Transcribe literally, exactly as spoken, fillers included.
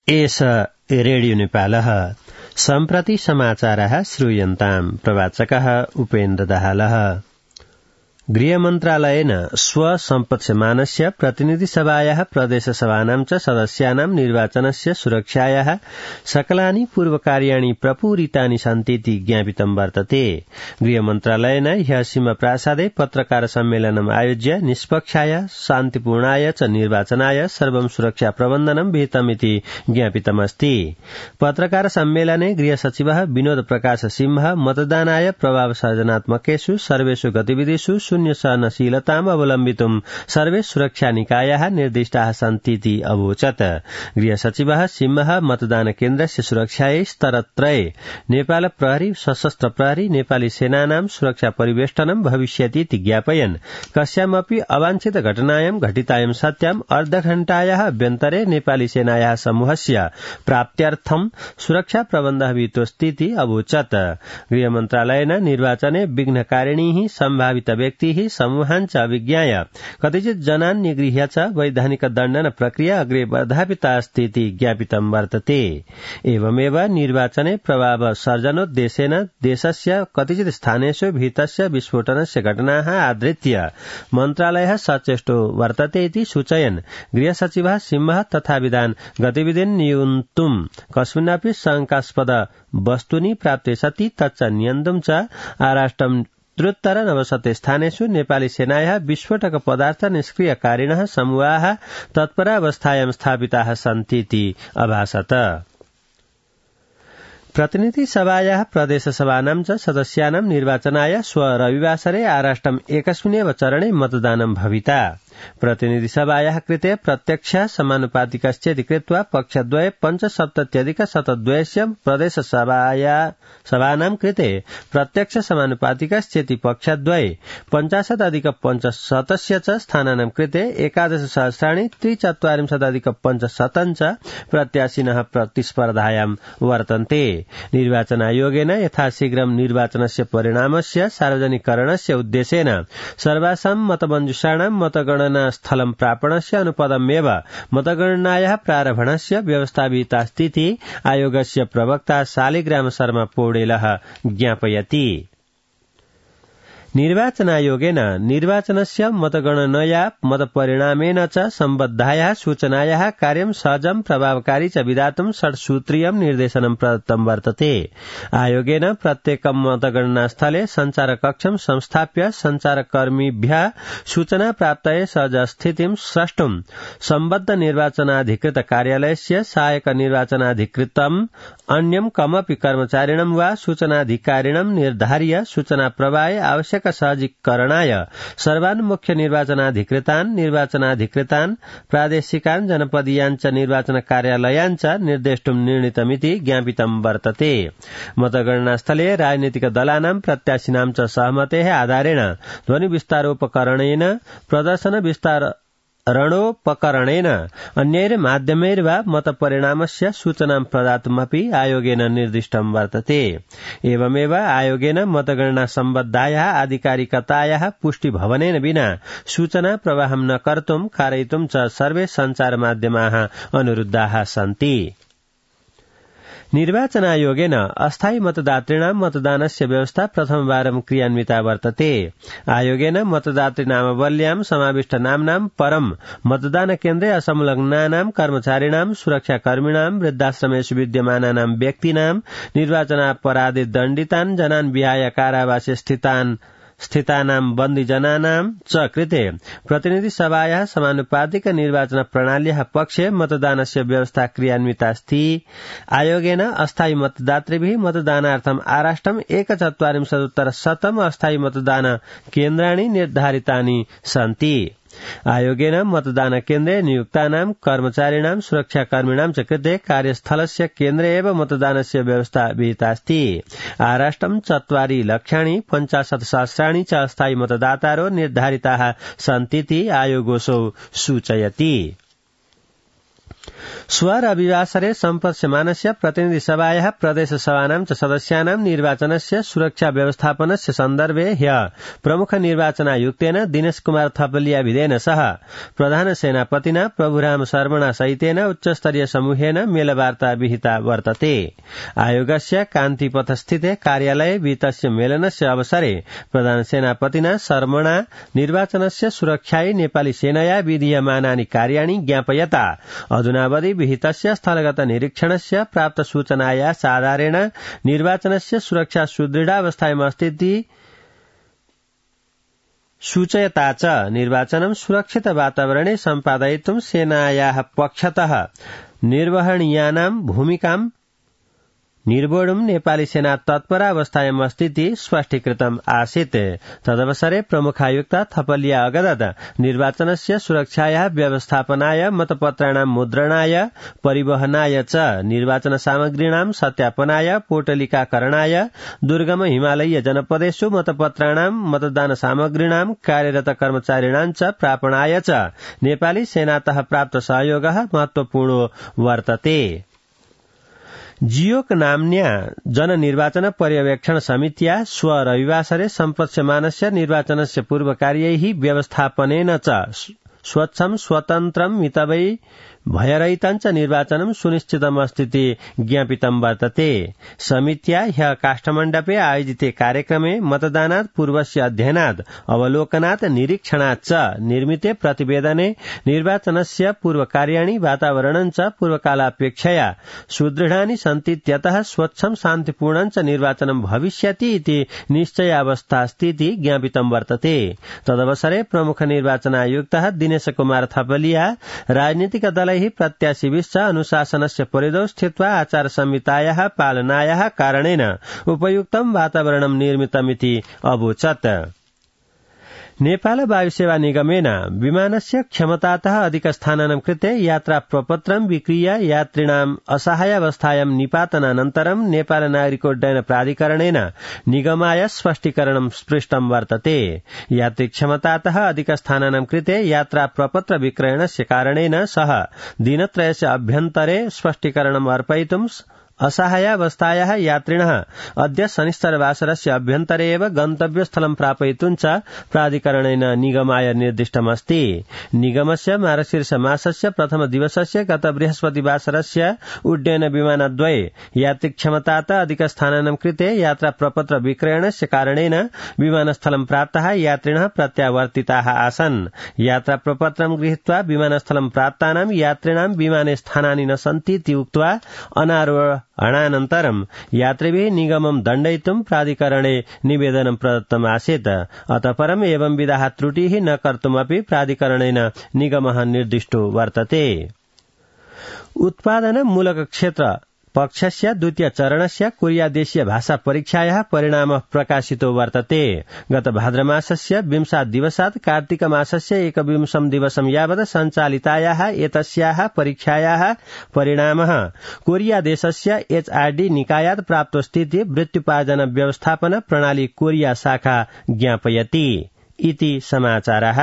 एष रेडियो नेपालः सम्प्रति समाचारः श्रूयन्ताम् प्रवाचकः उपेन्द्र दाहालः। गृहमन्त्रालयेन स्वसम्पत्स्यमानस्य प्रतिनिधिसभायाः प्रदेशसभानां च सदस्यानां निर्वाचनस्य सुरक्षायाः सकलानि पूर्वकार्याणि प्रपूरितानि सन्तीति ज्ञापितं वर्तते। गृहमन्त्रालयेन ह्यः सीमाप्रासादे पत्रकार सम्मेलनम् आयोज्य निष्पक्षाय शान्तिपूर्णाय च निर्वाचनाय सर्वं सुरक्षा प्रबन्धनं विहितमिति ज्ञापितमस्ति। पत्रकार सम्मेलने गृहसचिवः विनोद प्रकाश सिंह मतदानाय प्रभावसर्जनात्मकेषु सर्वेषु गतिविधिषु शून्य सहनशीलताम् अवलम्बितुं सर्वे सुरक्षा निकायाः निर्दिष्टाः सन्तीति अवोचत्। गृहसचिवः सिंहः मतदान केन्द्रस्य सुरक्षायै स्तरत्रये नेपाल प्रहरी, सशस्त्र प्रहरी, नेपाली सेनानां सुरक्षा परिवेष्टनं भविष्यतीति ज्ञापयन् कस्यामपि अवांछित घटनायां घटितायां सत्याम् अर्धघण्टायाः अभ्यन्तरे नेपाली सेनायाः समूहस्य प्राप्त्यर्थं सुरक्षा प्रबन्धः विहितोऽस्तीति अवोचत्। गृहमन्त्रालयेन निर्वाचने विघ्नकारिणीः सम्भावित व्यक्तिः समूहाञ्च अभिज्ञाय कतिचित् जनान् निगृह्य च वैधानिक दण्डन प्रक्रिया अग्रे वर्धापिता अस्तीति ज्ञापितं वर्तते। एवमेव निर्वाचने प्रभाव सर्जनोद्देशेन देशस्य कतिचित् स्थानेषु भीतस्य विस्फोटनस्य घटनाः आधृत्य मन्त्रालयः सचेष्टो वर्तते इति सूचयन् गृहसचिवः सिंहः तथाविधान् गतिविधिन् नियन्तुं कस्मिन्नपि शङ्कास्पद वस्तुनि प्राप्ते सति तच्च नियन्तुं च आराष्ट्रं त्रुत्तर नवशते स्थानेषु नेपाली सेनायाः विस्फोटक पदार्थ निष्क्रियकारिणः समूहाः तत्परावस्थायां स्थापिताः सन्तीति अभासत। प्रतिनिधिसभायाः प्रदेशसभानां च सदस्यानां निर्वाचनाय श्व रविवासरे आराष्ट्रम् एकस्मिन्नेव चरणे मतदानं भविता। प्रतिनिधिसभायाः कृते प्रत्यक्ष समानुपातिकश्चेति कृत्वा पक्षद्वये पञ्चसप्तत्यधिक शतद्वयस्य प्रदेशसभानां कृते प्रत्यक्ष समानुपातिकश्चेति पक्षद्वये पञ्चाशदधिक पञ्चशतस्य च स्थानानां कृते एकादश सहस्राणि त्रिचत्वारिंशदधिक पञ्चशतं च प्रत्याशिनः प्रतिस्पर्धायां वर्तन्ते। निर्वाचनायोगेन यथाशीघ्रं निर्वाचनस्य परिणामस्य सार्वजनिकरणस्य उद्देशेन सर्वासां मतमञ्जुषाणां मतगणना स्थलं प्रापणस्य अनुपदमेव मतगणनायाः प्रारम्भणस्य व्यवस्था विहितास्तीति आयोगस्य प्रवक्ता शालिग्राम शर्मा पौडेलः ज्ञापयति। निर्वाचनायोगेन निर्वाचनस्य मतगणनया मतपरिणामेन च सम्बद्धायाः सूचनायाः कार्यं सहजं प्रभावकारी च विधातुं षड्सूत्रीयं निर्देशनं प्रदत्तं वर्तते। आयोगेन प्रत्येकं मतगणनास्थले संचारकक्षं संस्थाप्य संचारकर्मिभ्यः सूचना प्राप्तये सहजस्थितिं स्रष्टुं सम्बद्ध निर्वाचनाधिकृत कार्यालयस्य सहायक निर्वाचनाधिकृतम् अन्यं कमपि कर्मचारिणं वा सूचनाधिकारिणं निर्धार्य सूचना प्रवाहे आवश्यक सहजीकरणाय सर्वान् मुख्य निर्वाचनाधिकृतान्, निर्वाचनाधिकृतान्, प्रादेशिकान्, जनपदीयान् च निर्वाचन कार्यालयान् च निर्देष्टुं निर्णीतमिति ज्ञापितं वर्तते। मतगणनास्थले राजनीतिक दलानां प्रत्याशिनां च सहमतेः आधारेण ध्वनि विस्तारोपकरणेन प्रदर्शन विस्तार रणोपकरणेन अन्यैर्माध्यमैर्वा मतपरिणामस्य सूचनां प्रदातुमपि आयोगेन निर्दिष्टं वर्तते। एवमेव आयोगेन मतगणना सम्बद्धायाः आधिकारिकतायाः पुष्टिभवनेन विना सूचना प्रवाहं न कर्तुं कारयितुं च सर्वे सञ्चारमाध्यमाः अनुरुद्धाः सन्ति। निर्वाचनायोगेन अस्थायी मतदातॄणां मतदानस्य व्यवस्था प्रथमवारं क्रियान्विता वर्तते। आयोगेन मतदातृनामावल्यां समाविष्ट नाम्नां परं मतदान केन्द्रे असंलग्नानां कर्मचारिणां, सुरक्षाकर्मिणां, वृद्धाश्रमेषु विद्यमानानां व्यक्तीनां, निर्वाचनापराधे दण्डितान् जनान् विहाय कारावासे स्थितान् स्थितानां बन्दीजनानां च कृते प्रतिनिधिसभायाः समानुपातिक निर्वाचन प्रणाल्याः पक्षे मतदानस्य व्यवस्था क्रियान्वितास्ति। आयोगेन अस्थायी मतदातृभिः मतदानार्थम् आराष्ट्रम् एकचत्वारिंशदुत्तर शतम् अस्थायी मतदान केन्द्राणि निर्धारितानि सन्ति। आयोगेन मतदान केन्द्रे नियुक्तानां कर्मचारिणां, सुरक्षाकर्मिणां च कृते कार्यस्थलस्य केन्द्रे एव मतदानस्य व्यवस्था विहितास्ति। आराष्ट्रं चत्वारि लक्षाणि पञ्चाशत् सहस्राणि च अस्थायी मतदातारो निर्धारिताः सन्तीति आयोगोऽसौ सूचयति। स्वरविवासरे सम्पत्स्यमानस्य प्रतिनिधिसभायाः प्रदेशसभानां च सदस्यानां निर्वाचनस्य सुरक्षा व्यवस्थापनस्य सन्दर्भे ह्य प्रमुख निर्वाचनायुक्तेन दिनेश कुमार थपलियाभिधेन सह प्रधान सेनापतिना प्रभुराम शर्मणा सहितेन उच्चस्तरीय समूहेन मेलवार्ता विहिता वर्तते। आयोगस्य कान्तिपथस्थिते कार्यालये विहितस्य मेलनस्य अवसरे प्रधान सेनापतिना शर्मणा निर्वाचनस्य सुरक्षायै नेपाली सेनया विधीयमानानि कार्याणि ज्ञापयता अधुनावधि विहितस्य स्थलगत निरीक्षणस्य प्राप्त सूचनाया आधारेण निर्वाचनस्य सुरक्षा सुदृढावस्थायामस्तीति सूचयता च निर्वाचनं सुरक्षित वातावरणे सम्पादयितुं सेनायाः पक्षतः निर्वहणीयानां भूमिकां निर्वोढुं नेपाली सेना तत्परावस्थायाम् अस्तीति स्पष्टीकृतम् आसीत्। तदवसरे प्रमुखायुक्त थपलिया अगदत निर्वाचनस्य सुरक्षायाः व्यवस्थापनाय मतपत्राणां मुद्रणाय परिवहनाय च निर्वाचन सामग्रीणां सत्यापनाय पोटलिकाकरणाय दुर्गम हिमालयीय जनपदेषु मतपत्राणां मतदान सामग्रीणां कार्यरत कर्मचारिणां च प्रापणाय च नेपाली सेनातः प्राप्त सहयोगः महत्वपूर्णो वर्तते। जियोक नाम्न्या जननिर्वाचन पर्यवेक्षण समित्या स्व रविवासरे सम्पत्स्यमानस्य निर्वाचनस्य पूर्वकार्यैः व्यवस्थापनेन च स्वच्छं स्वतन्त्रं मितवै भयरहितञ्च निर्वाचनं सुनिश्चितमस्तीति ज्ञापितं वर्तते। समित्या ह्यः काष्ठमण्डपे आयोजिते कार्यक्रमे मतदानात् पूर्वस्य अध्ययनात् अवलोकनात् निरीक्षणात् च निर्मिते प्रतिवेदने निर्वाचनस्य पूर्वकार्याणि वातावरणं च पूर्वकालापेक्षया सुदृढानि सन्तीत्यतः स्वच्छं शान्तिपूर्णं च निर्वाचनं भविष्यति इति निश्चयावस्थास्तीति ज्ञापितं वर्तते। तदवसरे प्रमुख निर्वाचनायुक्तः दिनेश कुमार थपलिया राजनीतिक दलैः प्रत्याशिभिश्च अनुशासनस्य परिधौ स्थित्वा आचार संहितायाः पालनायाः कारणेन उपयुक्तं वातावरणं निर्मितमिति अवोचत्। नेपाल वायुसेवा निगमेन विमानस्य क्षमतातः अधिकस्थानानां कृते यात्रा प्रपत्रं विक्रीय यात्रिणाम् असहायावस्थायां निपातनानन्तरं नेपाल नागरिकोड्डयन प्राधिकरणेन निगमाय स्पष्टीकरणं स्पृष्टं वर्तते। यात्री क्षमतातः अधिकस्थानानां कृते यात्रा प्रपत्र विक्रयणस्य कारणेन सह दिनत्रयस्य अभ्यन्तरे स्पष्टीकरणम् अर्पयितुं असहायावस्थायाः यात्रिणः अद्य शनिश्चरवासरस्य अभ्यन्तरे एव गन्तव्यस्थलं प्रापयितुं च प्राधिकरणेन निगमाय निर्दिष्टमस्ति। निगमस्य मार्गशीर्ष मासस्य प्रथम दिवसस्य गत बृहस्पतिवासरस्य उड्डयन विमानद्वये यात्रिक्षमतात अधिकस्थानानां कृते यात्रा प्रपत्र विक्रयणस्य कारणेन विमानस्थलं प्राप्ताः यात्रिणः प्रत्यावर्तिताः आसन्। यात्रा प्रपत्रं गृहीत्वा विमानस्थलं प्राप्तानां यात्रिणां विमाने स्थानानि न सन्तीति उक्त्वा अनारोह अनानन्तरं यात्रिभिः निगमं दण्डयितुं प्राधिकरणे निवेदनं प्रदत्तम् आसीत्। अतः परम् एवं विधाः त्रुटिः न कर्तुमपि प्राधिकरणेन निगमः निर्दिष्टो वर्तते। उत्पादन मूलक क्षेत्र पक्षस्य द्वितीय चरणस्य कोरिया देशीय भाषा परीक्षायाः परिणामः प्रकाशितो वर्तते। गत भाद्रमासस्य विंशात् दिवसात् कार्तिक मासस्य एकविंशं दिवसं यावत् सञ्चालितायाः एतस्याः परीक्षायाः परिणामः कोरिया देशस्य एचआरडी निकायात् प्राप्तोऽस्तीति वृत्त्युपार्जन व्यवस्थापन प्रणाली कोरिया शाखा ज्ञापयति इति समाचारः।